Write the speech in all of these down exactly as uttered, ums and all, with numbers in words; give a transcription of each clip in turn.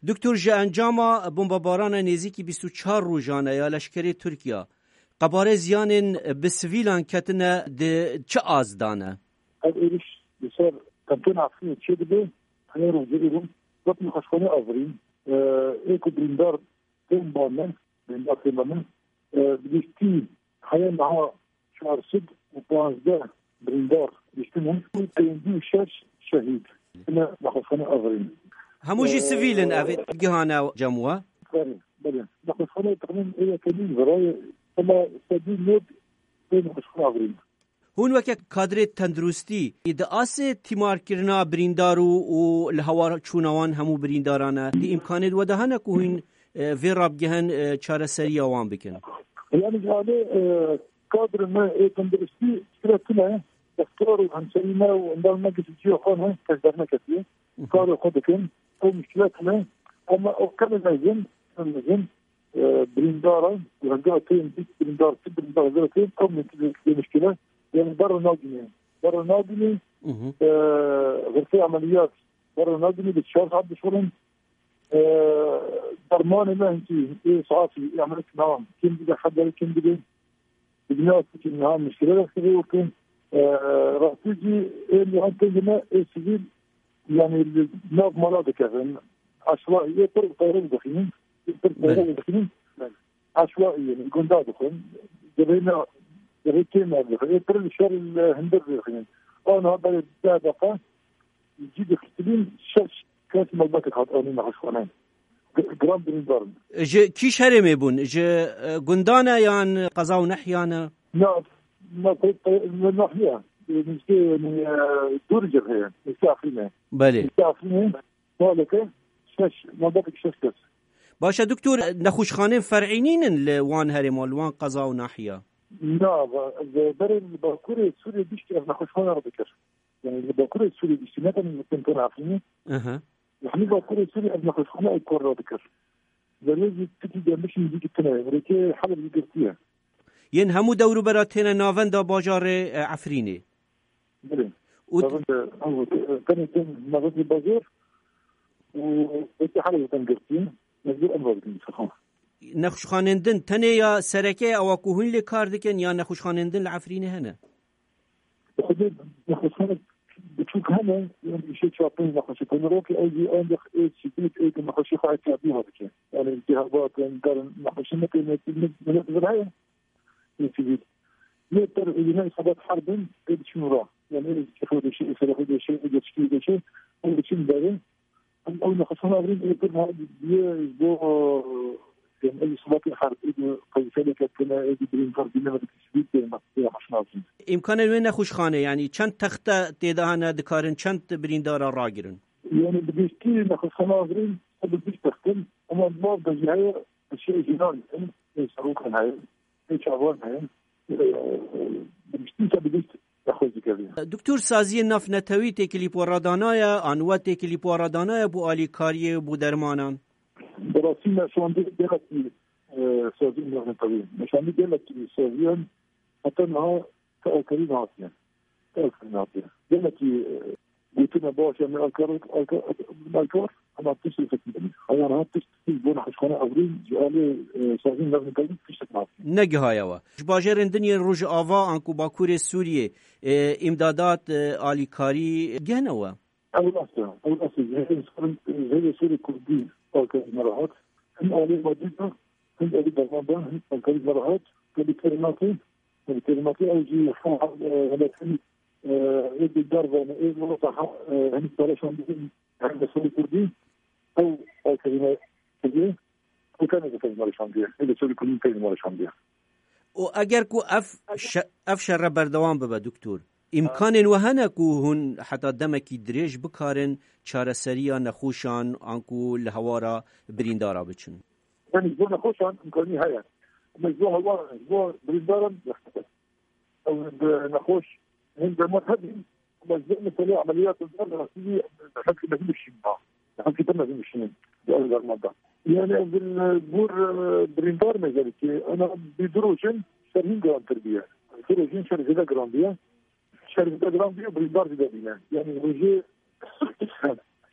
Doktor, ji encama bombebarana nêzîkî bîst û çar rojan e ya leşkerê Tirkiya, qebare ziyanên bi sivîlan ketine di çi az de ne? Ev êriş li ser Qentên Efrînê çêdibe, heye rojê êro, wek nexweşxane Efrîn, e, ê ku birîndar tên ba me, birîndar tên ba me, e, bi giştî heye niha çar sed û panzdeh birîndar giştine û pêncî û şeş şehîd. Yine nexweşxane Efrîn. Hemû jî Ee, sivîl in, ev gihane cem we? Belê, belê. Nexweşxane texmîn ê yekenî virayê, ama sedî nod ê nexweşxane Efrîn. Hûn weke kadrê tenduristî, di asê tîmarkirina birîndar û, û li hawar çûna wan hemû birîndaran e, di îmkanê we de hene ku hûn, e, vê rabgihen, e, çareseriya wan bikin? Yani ji alê, e, kadrê me ê tenduristî piştre tune, doktor û hemşerî me û endamê me giştî cihê xwe ne, kes derneketiye. Karê xwe dikin. Ew muşkile tune. Ama ew kemê mezin, kemê mezin, e, birîndar e. Hingê tên bîst birîndar, sî birîndar zira tên, ew muşkile, muşkile. Yani berre nagîne. Berre nagîne. E, xurfê emeliyat berre nagîne, bi çar saet dişurin. E, dermanê me hinkî ê saetî, emeliyat nam. Kim bide xeber, kim bide. Bi niha niha muşkile destê vê wekî, e, rastî jî ê niha têjine ê sivîl, yani li nav mala dikevin. Eşwaî ê pir teyre dixînin, ê pir teyre dixînin. Eşwaî yani gunda dixwin. Cebhê me, cebhê kêm me dixwin. Ê pir li şer li hundir dixînin. Ana berê deh deqa cî dixistilîn şeş kes malbatek hat anî nexweşxane. G-, giran birîndar in. Ji kî şerê me bûn? Ji, e, gundan e yan qeza û nehyan e? Na, na, pe-, pe-, ne, nahiye. E, nizkê, e, dûr cebhe ye. Nizkê Efrîn e. Belê. Nizkê Efrîn e. Maleke şeş, malbatek şeş kes. Baş e, doktor, nexweşxanên fer'î nînin li wan herêma, li wan qeza û nahiya? Na, va-, ve-, berê li Bakurê Sûriyê bişt ev nexweşxane re dikir. Yani li Bakurê Sûriyê biştî, ne tenê li Qentên Efrînê. Aha. Li hemî Bakurê Sûriyê ev nexweşxane ew kar radikir. Belê jî tikî gelmişî jî tune ye. Rêkê Heleb jî girtiye. Yên hemû dewrûbera têne navenda bajarê, e, Efrînê. Belê. Û navenda, ew, e, tenê tên navendê bajar û rêkê Helebê tên girtiye. Mecbûr em radikin, xwe. Nexweşxanên din tenê ya sereke ye, ewa ku hûn lê kar dikin, ya nexweşxanên din li Efrînê hene? Xwedê nexweşxanek biçûk hene, yani îşê çar pênc nexweşxane rokê, ew jî ancak ê sivîl ê ku nexweşî xwe îhtiyatî ve dike. Yani iltihabat, yani dar nexweşî ne pê ne, ne, ne, ne heye, ê sivîl. Lê per êdî ne îsabat herbin, ê diçin ra. Yani ê kefo deşe, ê serexo deşe, ê geçikî deşe, ê diçin derê. Em ew nexweşxane Efrîn ê pir niha diye ji bo, e, em ev sibatê her ê di qeyseleke tune ê di birîndar bîne ve di sivîl tê nexweşxane Efrîn. Îmkanên wê nexweşxane, yanî çend texte tê de hene, dikarin çend birîndara ragirin? Yani bi giştî nexweşxane Efrîn sed û bîst text in, ama di nav de jî heye, şey jînan in, ê serokan heye, ê çavan heye, e, bi giştî sed û bîst. Doktor, saziyên navnetewî têkilî bi we re danaye, an we têkilî bi we re danaye bo alîkariyê, bo dermanan? Bi rastî me şandî gelekî, e, saziyên navnetewî. Me şandî gelekî saziyan heta niha ti alîkarî nehatiye. Ti alîkarî nehatiye. Gelekî, e, gotine baş e, me alîkar, alîkar, alîkar, ama tiştê fekî. Heya niha tişt, tişt bo nexweşxane Efrîn ji alî, e, saziyên navnetewî tiştek nehatiye. Negihaye we. Ji bajarên din yên Rojava anku Bakurê Sûriyê, e, îmdadat, e, alîkarî gihne we? Ew rast e. Ew rast e. Ji hêzên Sûrê, ji hêzên Sûrê Kurdî alîkarî me re hat. Him alî madî de, him alî derman de, him alîkarî me re hat. Te bi kêrî nake, te bi kêrî nake, ew jî hal, e, heletin, e, ê dildar ve, ê wilo ta ha, e, henî pere şandî, hem de Sûrê Kurdî, ew alîkarî me kiriye. Û tenê dikevin mala şandiye. Ê li Sûrê Kurdî dikevin mala şandiye. Û eger ku ev şe-, ev şere berdewam bibe, doktor, îmkanên we hene ku hûn heta demekî dirêj bikarin çareseriya nexweşan anku li hewara birîndara biçin? Yani ji bo nexweşan îmkanî heye. Ama ji bo hewa, ji bo birîndaran zehmet e. Ew bi nexweş hin demat hebî, ama ji ber meselê emeliyat û dar rastî hemkî mezin dişîn ba. Hemkî pir mezin dişînin. Di ew derman da. Yani ev bin bûr, e, birîndar me gelekî. Ana bi du rojin şer hin girantir bûye. Du rojin şer zêde giran bûye. Şer zêde giran bûye, birîndar zêde bîne. Yani rojê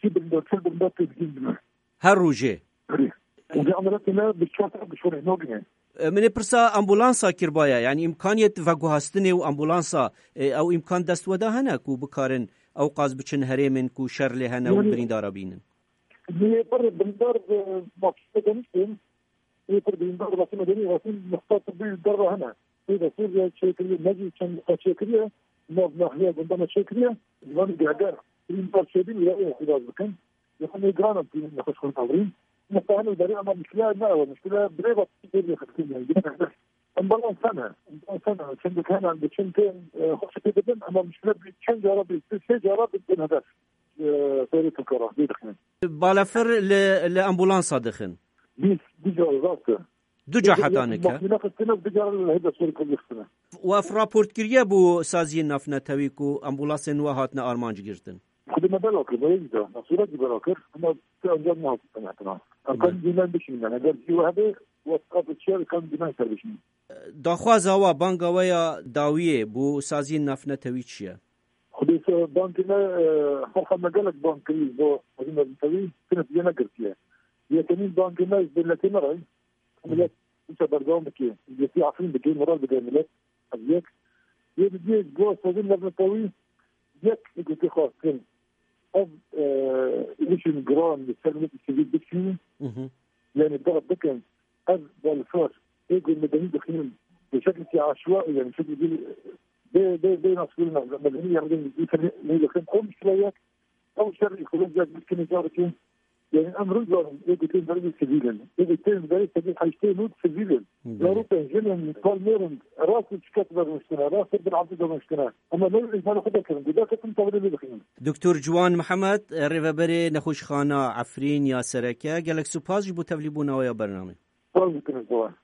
sî birîndar, çil birîndar tê digihîn bîne. Her rojê? Belê. Û vê emeliyatê me bi çar saet bi şûrê nagine. E, min ê pirsa ambulansa kirbaye, yani îmkaniyet veguhastinê û ambulansa, e, ew îmkan dest we de hene ku bikarin ew qas biçin herêmên ku şer lê hene û Yani birîndara bînin? Lê pir birîndar, e, mafî daniştin. Ê pir birîndar, wextê me denî, wextê nixta tibbî derve hene. Ê de sor çêkiriye, me jî çend nixta çêkiriye, nav nahiya gunda me çêkiriye, zimanê guhedar, birîndar çêbîn ya ê xwedaz bikin. Yexin ê giran em tînin nexweş xwe tewrîn. Nixta hene berê, ama muşkile ne ew e, muşkile birêva tê lê xistin yani. Ambulans hene, ambulans hene, çend hene, em diçin tên, e, xweş pê dibin, ama muşkile bir çend cara, bir sê cara bin hedef. E, serê Tirkara, lê dixin. Balafir li, li ambulansa dixin? Bîst, du cara rast e. Du ca heta nike? Makîne xistine, du cara li hêda Sûrî Kurdî xistine. We ev raport kiriye bo saziyên navnetewî ku ambulansên we hatine armanc girtin? Xwedê me bela kir, me yê jî da. Me sûretî bela kir, ama tu encam nehatî qenetina. Em kan dîmen bişînin, yani, eger cî we hebe, we ev çiya kan dîmen ser bişînin. Daxwaza we, banga we ya dawiyê bo saziyên navnetewî çi ye? Xwedê se-, bangê me, e, xelqa me gelek bang kirî bo saziyên navnetewî, tu netîce negirtiye. Yekemîn bangê me ji dewletê me re, millet wisa berdewam bike. Yekî Efrîn bike, moral bide millet. Ev yek. Yê didiyê ji bo saziyên navnetewî yek ê gotê xwestin. Ev, e, êrişên giran li ser miletê sivîl bikişînin. Mhm. Yani da bikin. Ev balfir ê ku medenî dixînin bi şeklekî aşwa, yani şeklekî bê, bê, bê nasbûn medenî, yani lê dixin ew muşkile yek, ew şer îkolojiya bikine carekê. Yani em rizanin, ê ku tên berê sivîl in. Ê ku tên berê sedî heştê nod sivîl in. Belê. Zarokên, jinên, palmêrin, rast û çiqet vermiştine, rast û bin abdî vermiştine. Ama ne îhmalê xwe dekirin, guda ketin tawilê lê dixînin. Doktor Ciwan Mihemed, rêveberê Nexweşxana Efrîn ya Sereke, gelek spas ji bo tevlîbûna we ya bernamê. Spas dikim ji bo we.